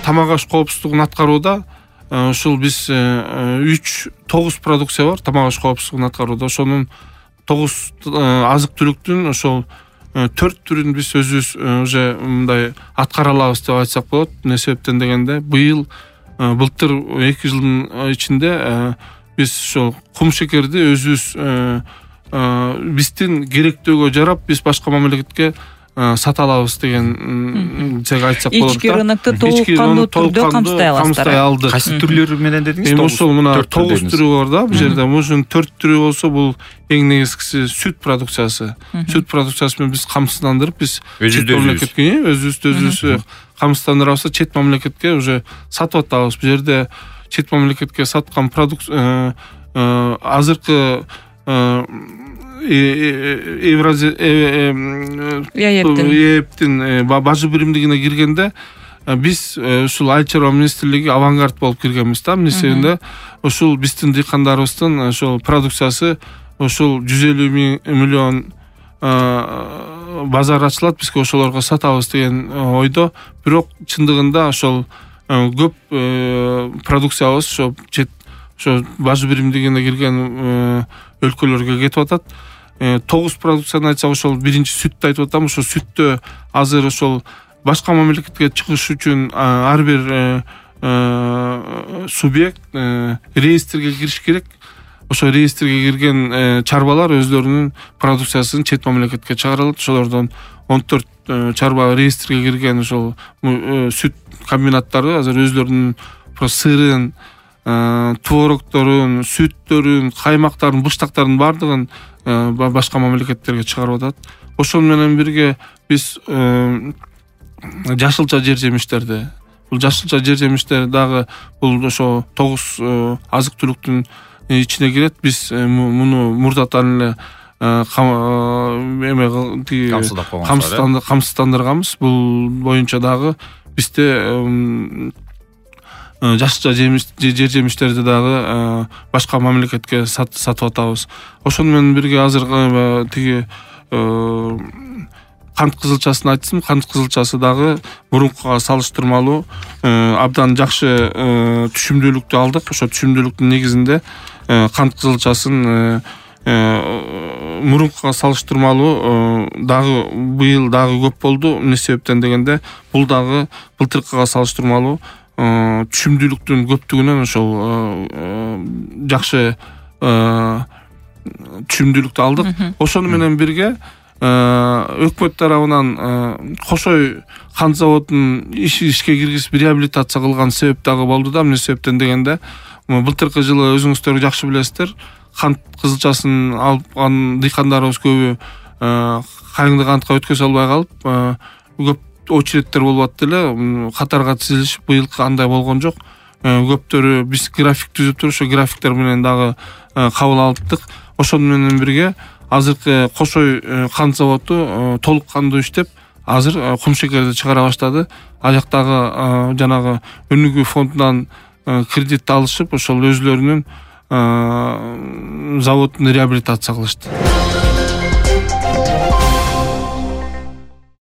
тамак аш коопсуздугун аткарууда ушул биз 9 продукция бар тамак аш коопсуздугун аткарууда. Ошонун 9 азык-түлүктүн ошол 4 түрүн биз өзүбүз уже мындай аткара алабыз деп айтсак болот. Эмне себептен дегенде былтыр 2 жылдын ичинде биз ошол кум шекерди өзүбүз биздин керектөөгө жарап биз башка мамлекетке сата алабыз деген айтсак болот. Ички рынокто толук кандуу түрдө камсыздай аласыздар. Кайсы түрлөрү менен дедиңиз? Ошол мына 9 түрү бар да. Бул жерде ушунун 4 түрү болсо бул эң негизгиси сүт продукциясы. Сүт продукциясы менен биз камсыздандырып биз чет мамлекетке өзүбүз камсыздандырабыз, чет мамлекетке уже сатып атабыз. Бул жерде чет мамлекетке саткан продукция азыркы ЕЭПтин бажы биримдигине киргенде биз ушул Айыл чарба министрлиги авангард болуп киргенбиз да. Эмне себептен ушул биздин дыйкандарыбыздын ошол продукциясы ошол 150 миллион базар ачылат, бизге ошолорго сатабыз деген ойдо. Бирок чындыгында ошол көп продукциябыз ошо бажы биримдигине кирген өлкөлөргө кетип атат. 9 продукцияны айтсак, ошол биринчи сүттү айтып атам. Ошол сүттө азыр ошол башка мамлекетке чыгыш үчүн ар бир субъект реестрге кириш керек. Ошо реестрге кирген чарбалар өздөрүнүн продукциясын чет мамлекетке чыгаралат. Ошолордон 14 чарба реестрге кирген ошол сүт комбинаттары азыр өздөрүнүн сырын, творогторун, сүттөрүн, каймактарын, быштактарын бардыгын башка мамлекеттерге чыгарып атат. Ошол менен бирге биз жашылча жер жемиштерди, бул жашылча жер жемиштер дагы бул ошо 9 азык-түлүктүн ичине кирет. Биз муну мурдатан эле камсыздандырганбыз. Бул боюнча дагы бизде жашылча жер жемиштерди дагы башка мамлекетке сатып атабыз. Ошону менен бирге азыр тиги кант кызылчасын айтсам, кант кызылчасы дагы мурункуга салыштырмалуу абдан жакшы түшүмдүүлүктү алдык. Ошо түшүмдүүлүктүн негизинде кант кызылчасын мурункуга салыштырмалуу дагы быйыл дагы көп болду. Эмне себептен дегенде бул дагы былтыркыга салыштырмалуу түшүмдүүлүктүн көптүгүнөн ошол жакшы түшүмдүүлүктү алдык. Ошону менен бирге өкмөт тарабынан Кошой кант заводун ишке киргизип реабилитация кылган себеп дагы болду да. Эмне себептен дегенде былтыркы жылы өзүңүздөр жакшы билесиздер, кант кызылчасын алган дыйкандарыбыз көбү кайыңды кантка өткөзө албай калып көп очередтер болуп атты эле, катарга тизилишип. Быйылкы андай болгон жок. Көптөрү биз график түзүп туруп, ошо графиктер менен дагы кабыл алыптык. Ошону менен бирге азыркы Кошой кант заводу толук кандуу иштеп, азыр кум шекерди чыгара баштады. Ал жактагы жанагы өнүгүү фондунан кредит алышып, ошол өзлөрүнүн заводун реабилитация кылышты.